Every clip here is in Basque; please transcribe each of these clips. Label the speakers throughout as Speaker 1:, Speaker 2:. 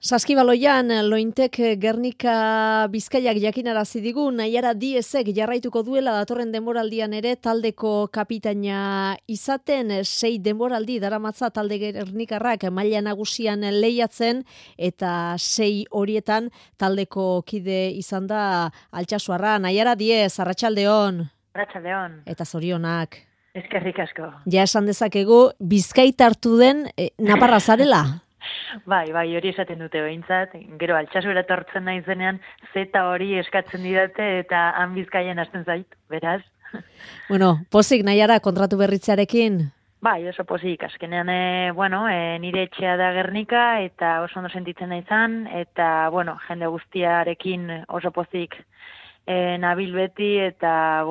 Speaker 1: Saskibaloian, Lointek Gernika Bizkaiak jakinarazi digu, Naiara Diezek jarraituko duela datorren denboraldian ere taldeko kapitaina izaten, 6 denboraldi daramatza talde Gernikarrak maila nagusian lehiatzen, eta 6 horietan taldeko kide izan da Altsasuarra. Naiara Diez, arratsaldeon.
Speaker 2: Arratsaldeon.
Speaker 1: Eta zorionak.
Speaker 2: Eskerrik asko.
Speaker 1: Ja esan dezakegu, Bizkaitartu den naparra zarela?
Speaker 2: Bai, hori esaten dute behintzat. Gero Altsasura etortzen naizenean zeta hori eskatzen didate eta han Bizkaian hasten zait, beraz.
Speaker 1: Bueno, pozik Naiara kontratu berritzearekin?
Speaker 2: Bai, oso pozik. Azkenean, nire etxea da Gernika eta oso ondo sentitzen naizan eta, jende guztiarekin oso pozik nabil beti eta,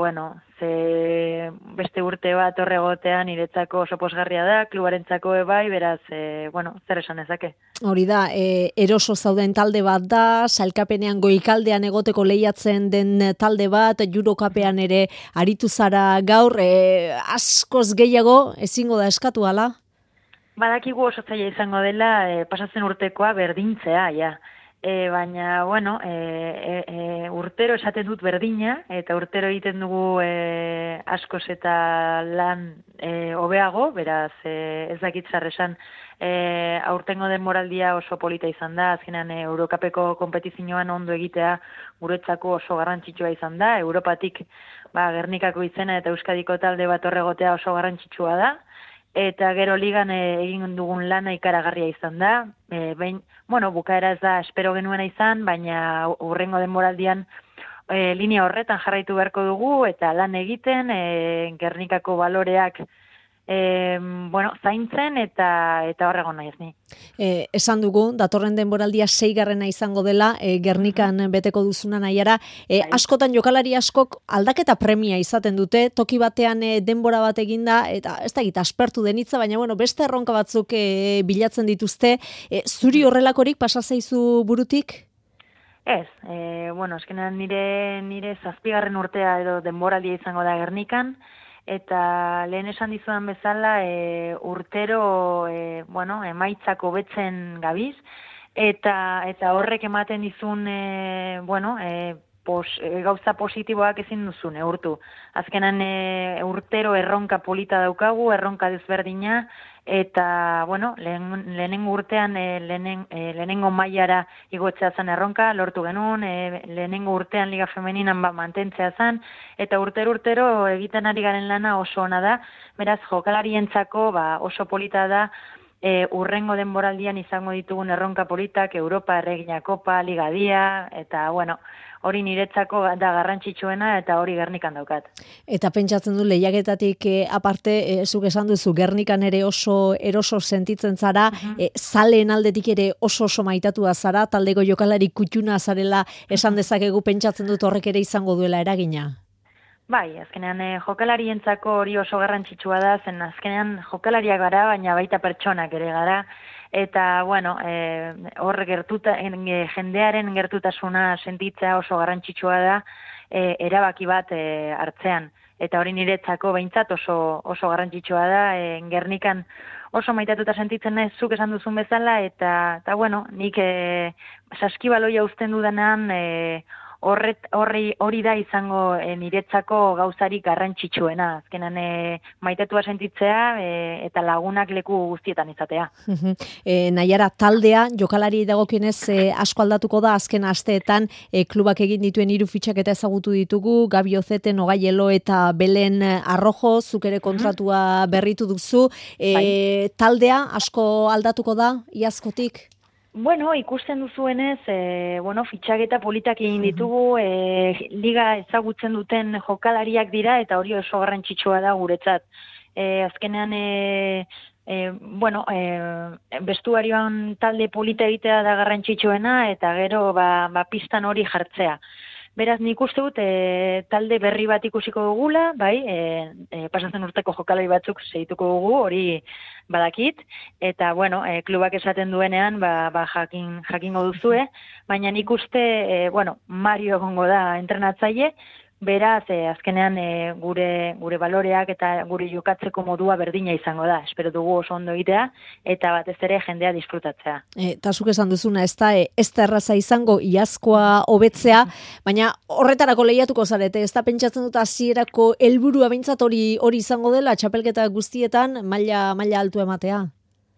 Speaker 2: ze beste urte bat horregotea niretzako oso posgarria da, klubarentzako bai, beraz, zer esan ezake.
Speaker 1: Hori da, eroso zauden talde bat da, sailkapenean goikaldean egoteko lehiatzen den talde bat, Eurokapean ere aritu zara gaur, askoz gehiago ezingo da eskatu ala?
Speaker 2: Badakigu oso zaila izango dela, pasatzen urtekoa berdintzea, ja. Baina, urtero esaten dut berdina, eta urtero egiten dugu askoz eta lan hobeago, beraz ez dakit zer esan, aurtengo denboraldia oso polita izan da, azkenean Eurokapeko konpetizioan ondo egitea guretzako oso garrantzitsua izan da, Europatik Gernikako izena eta Euskadiko talde bat horregotea oso garrantzitsua da, eta gero ligan egin dugun lana ikaragarria izan da. Bukaera ez da espero genuena izan, baina hurrengo denboraldian linea horretan jarraitu beharko dugu, eta lan egiten, Gernikako baloreak zaintzen, eta horrego nahi ez ni.
Speaker 1: Esan dugu, datorren denboraldia 6. izango dela, Gernikan beteko duzuna Naiara. Askotan jokalari askok aldaketa premia izaten dute, toki batean denbora bat eginda, eta ez da gita aspertu denitza, baina beste erronka batzuk bilatzen dituzte. Zuri horrelakorik pasa zaizu burutik?
Speaker 2: Ez, azkenean nire 7. urtea edo denboraldia izango da Gernikan, eta lehen esan dizudan bezala urtero emaitzak hobetzen gabiz, eta horrek ematen dizun gauza positiboak ezin duzu neurtu. Azkenan urtero erronka polita daukagu, erronka desberdina, eta lehenengo urtean lehenengo mailara igotzea zen erronka, lortu genuen, lehenengo urtean Liga Femeninan mantentzea zen, eta urtero egiten ari garen lana oso ona da, beraz jokalarientzako oso polita da, urrengo denboraldian izango ditugun erronka politak, Europa, Erregina Kopa, Liga Dia, eta hori niretzako da garrantzitsuena eta hori Gernikan daukat.
Speaker 1: Eta pentsatzen du lehiaketatik aparte, zuk esan duzu Gernikan ere oso eroso sentitzen zara, zaleen aldetik ere oso maitatua zara, taldeko jokalari kutxuna zarela esan dezakegu, pentsatzen dut horrek ere izango duela eragina.
Speaker 2: Bai, azkenean jokalarientzako hori oso garrantzitsua da, zen azkenean jokalariak gara, baina baita pertsonak ere gara, eta hor jendearen gertutasuna sentitzea oso garrantzitsua da erabaki bat hartzean. Eta hori niretzako behintzat oso garrantzitsua da, Gernikan oso maitatuta sentitzen naiz zuk esan duzun bezala, eta nik saskibaloia uzten dudanean hori da izango niretzako gauzarik garrantzitsuena. Azkenan maitatua sentitzea eta lagunak leku guztietan izatea.
Speaker 1: Naiara, taldea, jokalari dagokienez asko aldatuko da, azken asteetan klubak egin dituen 3 fitxaketa ezagutu ditugu, Gabi Ozete, Nogaielo eta Belen Arrojo, zuk ere kontratua berritu duzu. Taldea asko aldatuko da, iazkotik?
Speaker 2: Ikusten duzuenez, fitxaketa politak egin ditugu, liga ezagutzen duten jokalariak dira, eta hori oso garrantzitsua da guretzat. Azkenean, bestuarioan talde polita egitea da garrantzitsuena, eta gero pistan hori jartzea. Beraz, nik uste dut talde berri bat ikusiko dugula, pasatzen urteko jokalari batzuk segituko dugu, hori badakit, eta klubak esaten duenean jakingo duzue, baina nik uste Mario egongo da entrenatzaile, Beraz, azkenean gure baloreak eta gure jokatzeko modua berdina izango da. Espero dugu oso ondo egitea eta batez ere jendea disfrutatzea.
Speaker 1: Eta zuk esan duzuna, ez da erraza izango iazkoa hobetzea, baina horretarako lehiatuko zarete, ez da pentsatzen dut hasierako helburua behintzat hori izango dela, txapelketa guztietan maila altu ematea.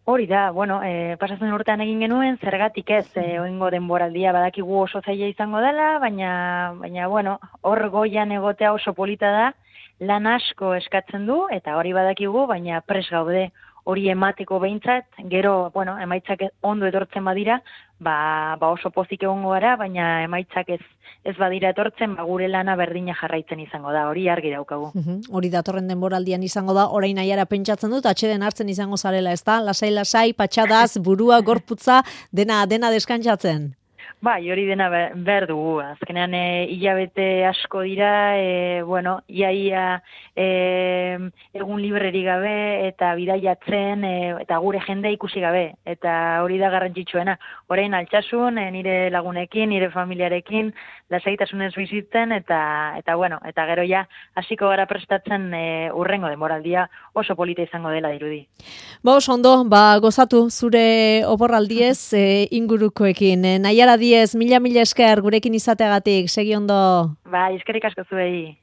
Speaker 2: Hori da, bueno, pasatzen urtean egin genuen, zergatik ez, oingo denboraldia badakigu oso zaila izango dela, baina bueno, hor goian egotea oso polita da, lan asko eskatzen du, eta hori badakigu, baina pres gaude hori emateko behintzat, gero, bueno, emaitzak ondo etortzen badira, ba oso pozik egongo gara, baina emaitzak ez badira etortzen, gure lana berdina jarraitzen izango da, hori argi daukagu.
Speaker 1: Hori datorren denboraldian izango da, orain nahiara pentsatzen dut, atxeden hartzen izango zarela, ez da? Lasai, patxadaz, burua, gorputza, dena deskantzatzen.
Speaker 2: Bai, hori dena behar dugu. Azkenean hilabete asko dira, bueno, iaia egun libreri gabe eta bidaiatzen eta gure jende ikusi gabe. Eta hori da garrantzitsuena. Orain altsasun, nire lagunekin, nire familiarekin, lasaitasunez bizitzen eta bueno, eta gero ja hasiko gara prestatzen urrengo denboraldia oso polita izango dela dirudi.
Speaker 1: Oso ondo, gozatu zure oporraldiez ingurukoekin. Naiara Diez, mila esker gurekin izateagatik, segi ondo.
Speaker 2: Eskerrik asko zuei.